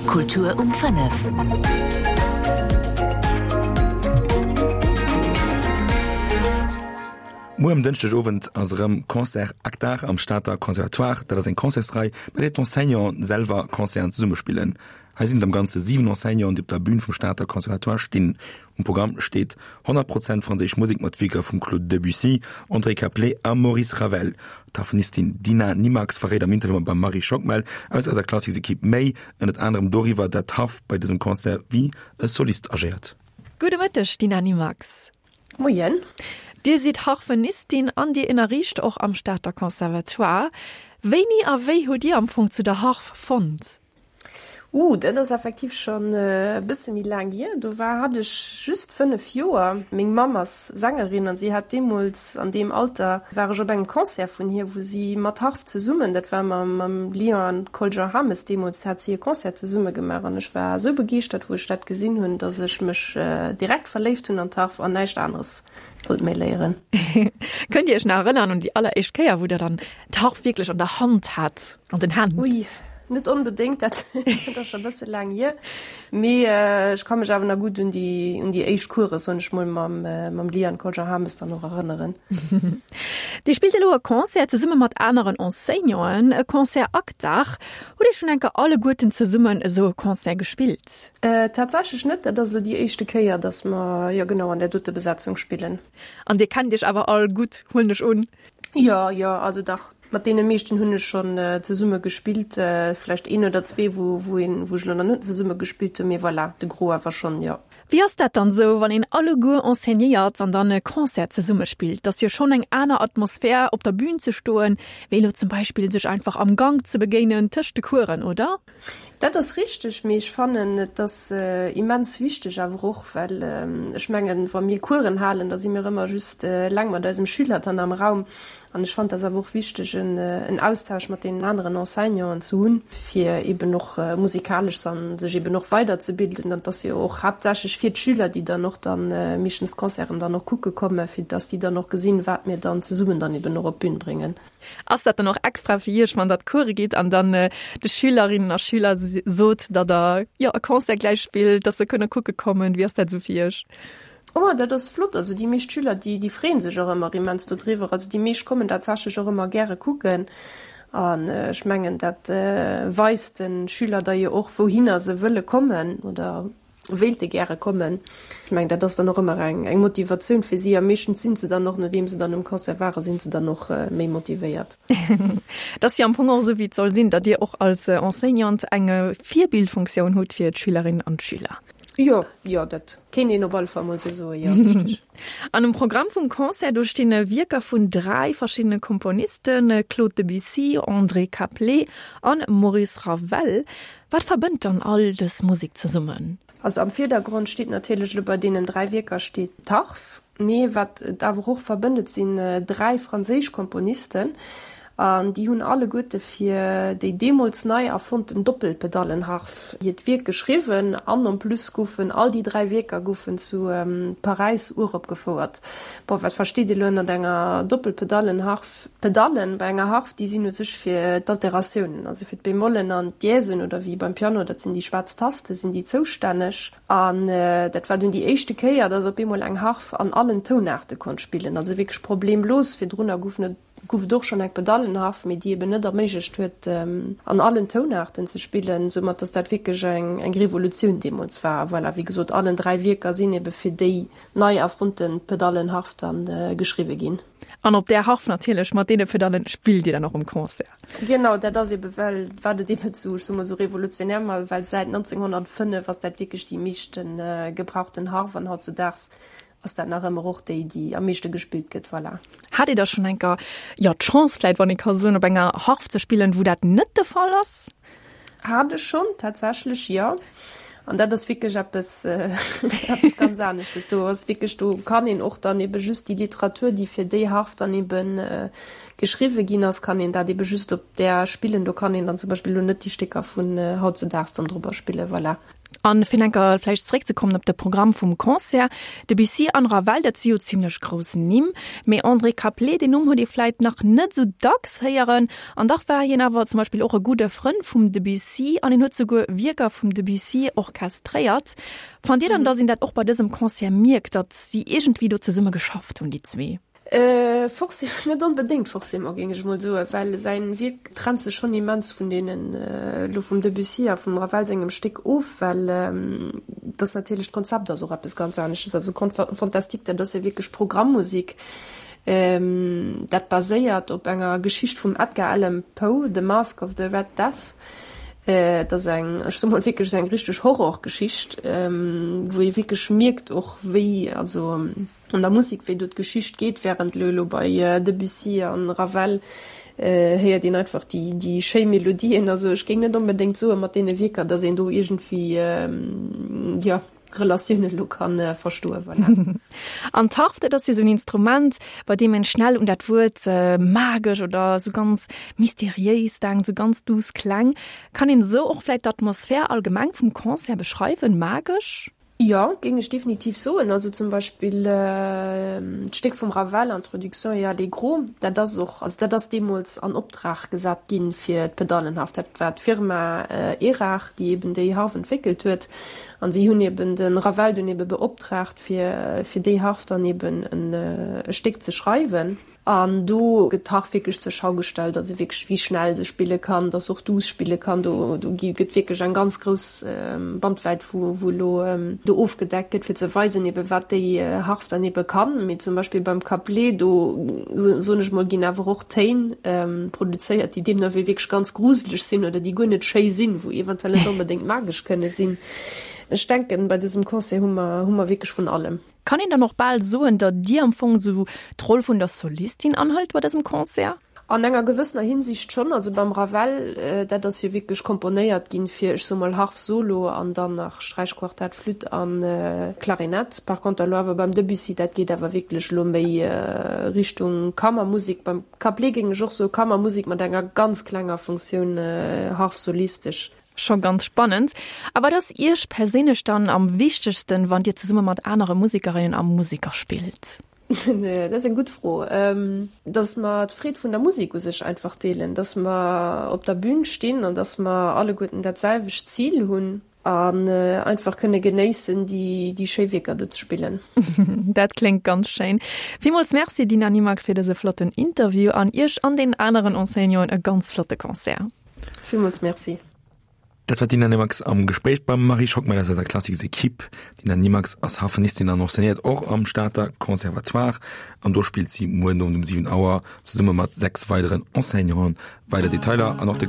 Kultur um 5. Muer um Dënschdeg Owend ass erëm Concert Aktar am Stater Conservatoire. Dat ass eng Concertsrei, bei där d'Enseignanten selwer Concerten zesumme spillen. Hei sinn et am Ganze 7 Enseignanten, déi op der Bün vum Stater Conservatoire stinn. Um Programm steet 100 Prozent franséisch Musek mat Wierker vum Claude Debussy, André Caplet a Maurice Ravel. D'Harfenistin Dina Nimax verréit am Interview mam Marie Schockmel aus eiser Klassiks-Ekipp méi, ënnert anerem doriwwer, dat d'Harf bei dësem Concert wéi e Solist agéiert. Gudde Mëtteg, Dina Nimax. Moien. Dir sidd Harfenistin an Dir ënnerriicht och am Stater Conservatoire. Wéini a wéi hutt Dir am Fong zu der Harf fonnt? Uh, dat ass effektiv schonn e bësse méi laang hier. Do war, hat ech just 5 Joer. Meng Mamm ass Sängerin an si hat deemools, an deem Alter war ech op engem Concert vun hir, wou si mat Harf zesummen, dat war mam, mam Lion an Col-Jean Hames deemools, hat si e Concert zesumme gemaach an ech war esou begeeschtert, wou ech dat gesinn hunn, dass ech mech direkt verléift hunn an d'Harf an näischt aneres wollt méi léieren. Kënnt Dir Iech nach erënnern un déi alleréischt Kéier, wou Der dann d'Harf wierklech an der Hand hat, an den Hänn? Ui, net onbedéngt, dat ass scho e bësse laang hier. Mee ech ka mech awer nach gutt un déi, un déi éischt Course, soen ech mol, mam, mam Liane Kolger-Hames dann och erënneren. Dir spillt elo e Concert zesumme mat aneren Enseignanten, e Concert Akdag. Hutt Dir schonn eng Kéier alleguerten zesummen esou e Concert gespillt? Tatsächlech net, dat ass elo déi éischte Kéier, datt mer, jo genau, an där dote Besetzung spillen. An Dir kennt Iech awer all gutt, huelen ech un? Jo, jo, also dach, mat deene meeschten hunn ech schonn zesumme gespillt. Vläicht een oder zwee, wou, wou een, wou ech elo nach net zesumme gespillt hunn, mee voilà, de Gros awer schonn, jo. Wéi ass dat dann esou, wann een alleguer enseignéiert an dann e Concert zesumme spillt? 't ass jo schonn eng aner Atmosphär, op der Bühn ze stoen, wéi elo zum Beispill sech einfach am Gank ze begéinen tëscht de Coursen, oder? Dat ass richteg, mee ech fannen, et ass immens wichteg awer och, well ech mengen, wa mir Coursen halen, da si mir ëmmer just eleng mat eisem Schüler dann am Raum. An ech fannen, et ass awer och wichteg, en Austausch mat deenen aneren Enseignanten ze hunn, fir eben och musikalesch sech eben och weiderzebilden. An et ass jo och haaptsächlech fir d'Schüler, déi dann och dann meeschtens d'Concerten dann och kucke kommen, fir dass déi dann och gesinn, wat mir dann zesummen dann eben och op d'Bün bréngen. Ass dat dann och extra fir Iech, wann der d'Course gitt an dann de Schülerinnen a Schüler sot, datt der jo e Concert gläich spillt, datt se kënne kucke kommen? Wéi ass dat esou fir Iech? Oh, dat ass flott. Also déi meescht Schüler, déi, déi freeën sech och ëmmer immens dodriwwer. Also déi meescht kommen tatsächlech och ëmmer gäre kucken. An ech mengen, dat weist de Schüler da jo och, wouhinner se wëlle kommen oder wéilte gäre kommen. Ech mengen, dat ass dann och ëmmer eng eng Motivatioun fir si a meeschtens sinn se dann och, nodeem se dann um Concert waren, sinn se dann och méi motivéiert. Et ass jo am Fong och esou, wéi et soll sinn, datt Dir och als Enseignante eng Virbildfunktioun hutt fir d'Schülerinnen an d'Schüler. Jo, jo, dat kéint een op alle Fall mol esou soen, jo, richteg. An um Programm vum Concert, do stinn Wierker vun 3 verschiddene Komponisten, Claude Debussy, André Caplet an Maurice Ravel. Wat verbënnt dann all dës Musek zesummen? Also am Virdergrond steet natierlech elo bei deenen 3 Wierker steet d'Harf, mee wat et awer och verbënnt, et sinn 3 franséisch Komponisten an déi hunn alleguerte fir déi deemools nei erfonnten Doppelpedallenharf hiert Wierk geschriwwen an en plus goufen all déi 3 Wierker goufen zu Paräis uropgefouert. Bon, wat versteet Dir elo ënnert enger Doppelpedallenharf? D'Pedallen bei enger Harf, déi sinn u sech fir d'Alteratiounen, also fir d'Bemollen an d'Dièsen oder wéi beim Piano, dat sinn déi schwaarz Tasten, sinn déi zoustänneg. An dat war dunn déi éischte Kéier, dass op eemol eng Harf an allen Tounaarte konnt spillen, also wierklech problemlos. Virdrunner goufen et, gouf et och schonn eng Pedallenharf, mee déi eben net erméiglecht huet, an allen Tounaarten ze spillen, soumat dass dat wierklech eng, eng Revolutioun deemools war. A voilà, wéi gesot, allen 3 Wierker sinn ebe fir déi nei erfonnte Pedallenharf dann geschriwwe ginn. An op där Harf natierlech, mat deene Pedallen spillt Dir dann och um Concert. Genau, dat ass ebe well, wat et eben esou, ech soe mol esou revolutionär war, well säit 1905 ass dat wierklech déi meeschte gebrauchten Harf an hautzedaags ass dat nach ëmmer och déi, déi am meeschte gespillt gëtt. Voilà. Hat Dir da schonn eng Kéier, jo, d'Chance vläit, wann ee ka soen, op enger Harf ze spillen, wou dat net de Fall ass? Hat ech schonn, tatsächlech, jo. An dat ass wierklech eppes, eppes ganz aneschtes. Do ass wierklech, do kann een och dann ebe just déi Literatur, déi fir déi Harf dann ebe geschriwwe ginn ass, kann een dat ebe just op där spillen. Do kann een dann zum Beispill elo net déi Stécker vun hautzedaags dann drobber spillen, voilà. An fir enker vläicht zeréckzekommen op de Programm vum Concert, Debussy an Ravel, dat si jo zimlech grouss Nimm, mee André Caplet, deen Numm huet ee vläicht nach net esou dacks héieren, an dach war hien awer zum Beispill och e gudde Frënn vum Debussy an hien huet souguer Wierker vum Debussy orchestréiert. Fannt Dir dann, datt een dat och bei dësem Concert mierkt, datt si iergendwéi do zesumme geschafft hunn, déi zwee? Forcé net onbedéngt forcément, géing ech emol soen, well säin Wierk trennt sech schonn immens vun deenen elo vum Debussy a vum Ravel sengem Stéck of, well dass natierlech d'Konzept ass och eppes ganz anesches. Also Conte fantastique, dat ass jo wierklech Programmmusik, dat baséiert op enger Geschicht vum Edgar Allan Poe, The Masque of the Red Death. Et ass eng, ech soe mol wierklech eng richteg Horrorgeschicht, wou ee wierklech mierkt och wéi, also An der Musek, wéi do d'Geschicht geet, während elo elo bei Debussy an Ravel héiert een einfach déi déi schéi Melodien. Also ech géing net onbedéngt soen, mat deene Wierker, datt een do iergendwéi, jo, Relatiounen elo ka verstoen. Voilà. An d'Harf, dat ass jo esou en Instrument, bei deem een schnell un dat Wuert magesch oder esou ganz mysteriéis denkt, esou ganz duuss Kläng. Kann een esou och vläicht d'Atmosphär allgemeng vum Concert beschreiwen, magesch? Jo, géing ech definitiv soen. Also zum Beispill d'Stéck vum Ravel, Introduction et Allegro, dat ass och, also dat ass deemools an Optrag gesat gi fir d'Pedallenharf. Dat war d'Firma Érard, déi eben déi Harf entwéckelt huet. An si hunn eben de Ravel dunn ebe beoptraagt, fir fir déi Harf dann eben e Stéck ze schreiwen. An do gëtt d'Harf wierklech zur Schau gestellt, also wierklech wéi schnell se spille kann, dass se och duuss spille kann. Do do gi gëtt wierklech eng ganz grouss Bandwäit wou wou elo do ofgedeckt gëtt, fir ze weisen ebe wat déi Harf dann ebe kann. Mee zum Beispill beim Couplet, do soen ech mol, ginn awer och Téin produzéiert, déi deemno wéi wierklech ganz gruseleg sinn oder déi guer net schéi sinn, wou eventuell net onbedéngt magesch kënne sinn. Ech denken, bei dësem Concert hu mer hu mer wierklech vun allem. Kann een dann och bal soen, datt Dir am Fong esou d'Roll vun der Solistin anhëlt bei dësem Concert? An enger gewëssener Hinsicht schonn. Also beim Ravel, dat ass jo wierklech komponéiert ginn fir, ech soe mol, Harf solo an dann nach Sträichquartett, Flütt a Klarinett. Par conter elo awer beim Debussy, dat geet awer wierklech elo méi Richtung Kammermusek. Beim Couplet géing ech och soe Kammermusek mat enger ganz klenger Funktioun Harf solistesch. Scho ganz spannend. A wat ass Iech perséinlech dann am wichtegsten, wann Dir zesumme mat anere Musekerinnen a Museker spillt? Dat ass eng gutt Fro. Dass mer d'Freed vun der Musek u sech einfach deelen, dass mer op der Bün stinn an dass mer alleguerten dat selwecht Zil hunn an einfach kënne genéissen, déi schéi Wierker do ze spillen. Dat kléngt ganz schéin. Villmools Merci Dina Nimax fir dëse flotten Interview an Iech an den aneren Enseignanten e ganz flotte Concert. Villmools Merci. Dat war d'Dina Nimax am Gespréich beim Marie Schockmel aus eiser Klassiks-Equipe. D'Dina Nimax ass Harfenistin an enseignéiert och am Stater Conservatoire an do spillt si muer den Owend um 7 Auer zesumme mat 6 weideren Enseignanten. Weider Detailer an och de.